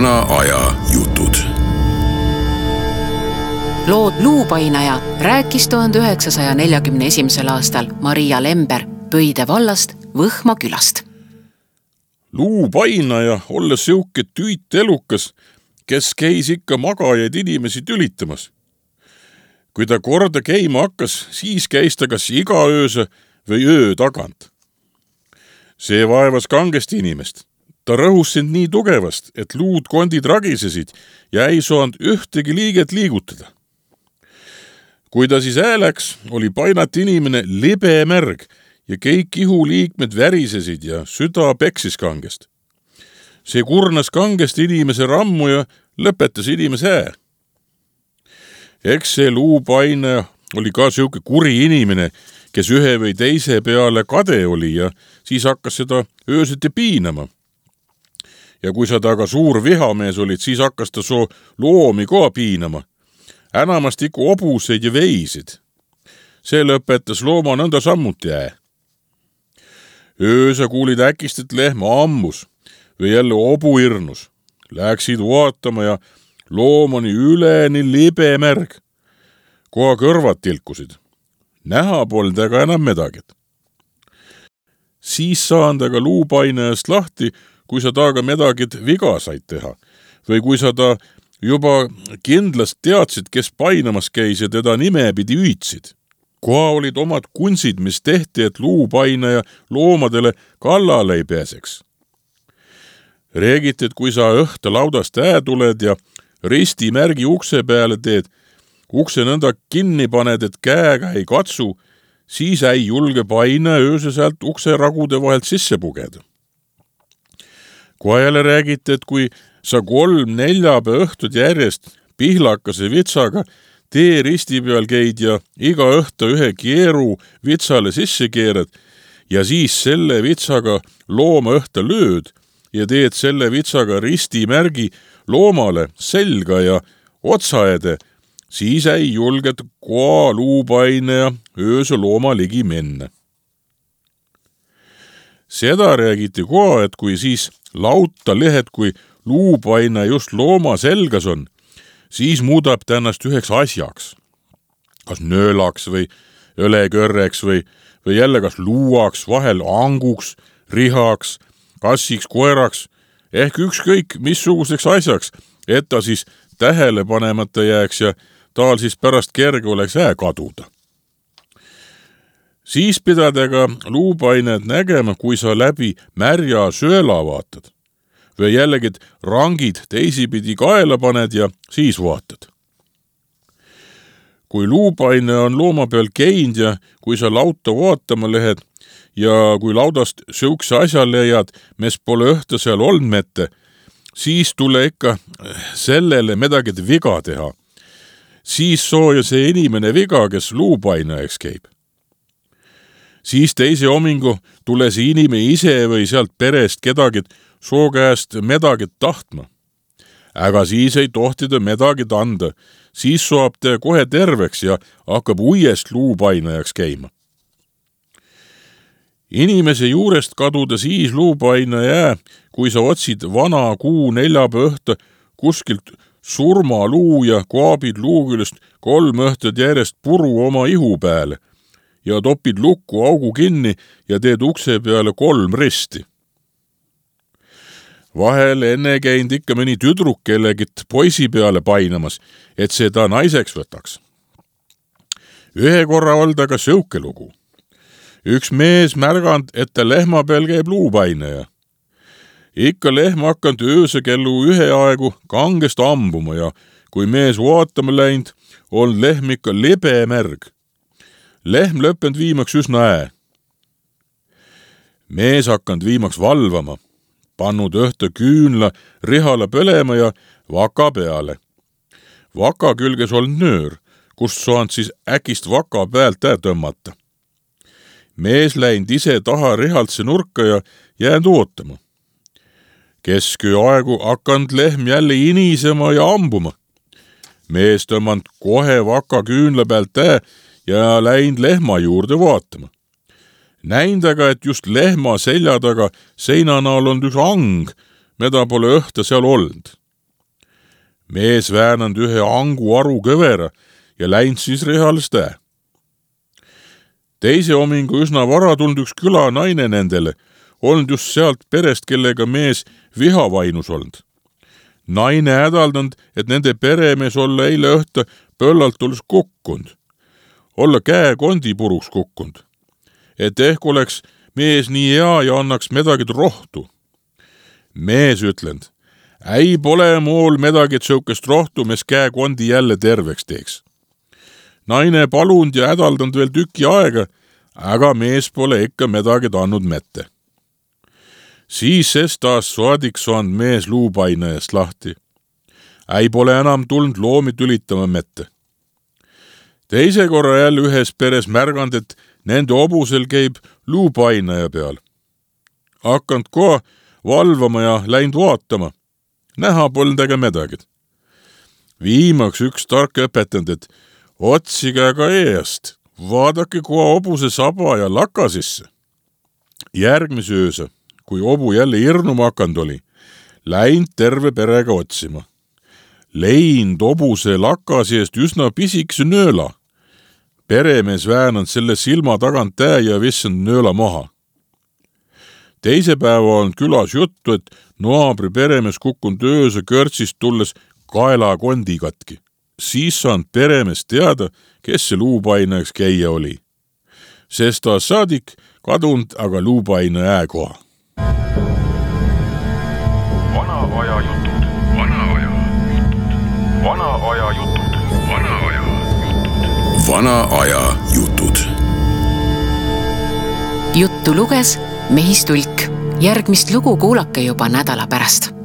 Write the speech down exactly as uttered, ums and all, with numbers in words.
vana aja jutud. Lood Luupainaja rääkis tuhande üheksasaja neljakümne esimesel aastal Maria Lember Pöide vallast Võhma külast. Luupainaja olles siuke tüüt elukas, kes käis ikka magajaid inimesi tülitamas. Kui ta korda käima hakkas, siis käis ta kas iga ööse või öö tagant. See vaevas kangesti inimest. Ta rõhus sind nii tugevast, et luud kondid ragisesid ja ei saanud ühtegi liiget liigutada. Kui ta siis ääläks, oli painat inimene libe märg ja kõik ihuliikmed värisesid ja süda peksis kangest. See kurnas kangest inimese rammu ja lõpetas inimese ää. Eks see Luupainaja oli ka siuke kuri inimene, kes ühe või teise peale kade oli ja siis hakkas seda ööseti piinama. Ja kui sa taga suur vihamees olid, siis hakkas ta soo loomi ka piinama. Änamast ikku obuseid ja veisid. See lõpetas looma nõnda sammuti ää. Öösa kuulid äkist, et lehma ammus või jälle obu irnus. Läksid vaatama ja loom oli üleni libe märg. Koha kõrvad tilkusid. Näha polnud aga enam medagit. Siis saan ta ka Luupainajast lahti, kui sa taga medagit viga said teha. Või kui sa ta juba kindlast teadsid, kes painamas käis ja teda nimepidi hüüdsid. Koha olid omad kunsid, mis tehti, et Luupainaja loomadele kallale ei pääseks. Reegiti, et kui sa õhta laudast ää tuled ja ristimärgi ukse peale teed, ukse nõnda kinni paned, et käega ei katsu, siis ei julge painaja ööse sealt ukse ragude vahelt sisse pugeda. Kohe jälle räägiti, et kui sa kolm neljapäeva õhtud järjest pihlakase vitsaga tee risti peal käid ja iga õhta ühe keeru vitsale sisse keerad ja siis selle vitsaga looma õhta lööd ja teed selle vitsaga ristimärgi loomale selga ja otsaede, siis ei julget koha Luupainaja ööse looma ligi minna. Seda räägiti koha, et kui siis lauta lehed, kui Luupainaja just looma selgas on, siis muudab ta ennast üheks asjaks. Kas nöölaks või õlekörreks või, või jälle kas luuaks, vahel anguks, rihaks, kassiks, koeraks, ehk ükskõik missuguseks asjaks, et ta siis tähele panemata jääks ja taal siis pärast kerge oleks ää kaduda. Siis pidadega Luupainajat nägema, kui sa läbi märja sööla vaatad. Või jällegi rangid teisipidi kaela paned ja siis vaatad. Kui Luupainaja on looma peal käinud ja kui sa lauta vaatama lähed ja kui laudast siukse asja leiad, mis pole õhta seal olnud mette, siis tule ikka sellele midagi viga teha. Siis sooja see inimene viga, kes Luupainajaks käib. Siis teise homingu tule see inimene ise või sealt perest kedagi soo käest medagit tahtma. Aga siis ei tohtida medagit anda, siis saab ta kohe terveks ja hakkab uuest Luupainajaks käima. Inimese juurest kaduda siis Luupainaja, kui sa otsid vana kuu neljapäeva õhta kuskilt surmaluu ja kaabid luu küljest kolm õhtad järjest puru oma ihu peale ja topid lukku augu kinni ja teed ukse peale kolm risti. Vahel enne käinud ikka mõni tüdruk kellegit poisi peale painamas, et seda naiseks võtaks. Ühe korra olda ka sõuke lugu. Üks mees märganud, et ta lehma peal käib Luupainaja. Ikka lehma hakkanud ööse kellu ühe aegu kangest ambuma ja kui mees vaatama läinud, on lehm ikka libe märg. Lehm lõppenud viimaks üsna ää. Mees hakkanud viimaks valvama, pannud õhta küünla rihale põlema ja vaka peale. Vaka külges olnud nöör, kust saanud siis äkist vaka pealt ää tõmmata. Mees läinud ise taha rihaltse nurka ja jäänud ootama. Kesköö aegu hakkanud lehm jälle inisema ja ambuma. Mees tõmmanud kohe vaka küünla pealt ää ja läinud lehma juurde vaatama. Näind aga, et just lehma selja taga seina näol on üks ang, mida pole õhta seal olnud. Mees väänand ühe angu aru kõvera ja läinud siis rehales tää. Teise homingu üsna vara tulnud üks küla naine nendele, olnud just sealt perest, kellega mees vihavainus olnud. Naine hädaldanud, et nende peremees olla eile õhta pöllalt olles kukkund. Olla käe kondi puruks kukkund. Et ehk oleks mees nii hea ja annaks medagid rohtu. Mees ütlend, ei pole mool medagid sõukest rohtu, mes käe kondi jälle terveks teeks. Naine palund ja hädaldanud veel tüki aega, aga mees pole ikka medagid annud mette. Siis ses taas saadik saanud mees luupaina eest lahti. Ei pole enam tulnud loomi tülitama mette. Teise korra jälle ühes peres märgand, et nende obusel käib luupainaja peal. Hakkand koha valvama ja läinud vaatama. Näha polnud äge medagid. Viimaks üks tark õpetanud, et otsige aga eest, vaadake koha obuse saba ja laka sisse. Järgmise ööse, kui obu jälle irnuma hakanud oli, läinud terve perega otsima. Leind obuse lakasi eest üsna pisikse nööla. Peremees väänanud selle silma tagant tää ja vissand nööla maha. Teise päeva on külas juttu, et naabri peremees kukkunud ööse körtsist tulles kaela kondi katki. Siis saanud peremees teada, kes see luupainajaks käia oli. Sest ta saadik kadunud aga luupaina ääkoha. Vana aja jutud, vana aja jutud, vana aja jutud, vana aja jutud. Vana aja jutud. Juttu luges Mehis Tulk. Järgmist lugu kuulake juba nädala pärast.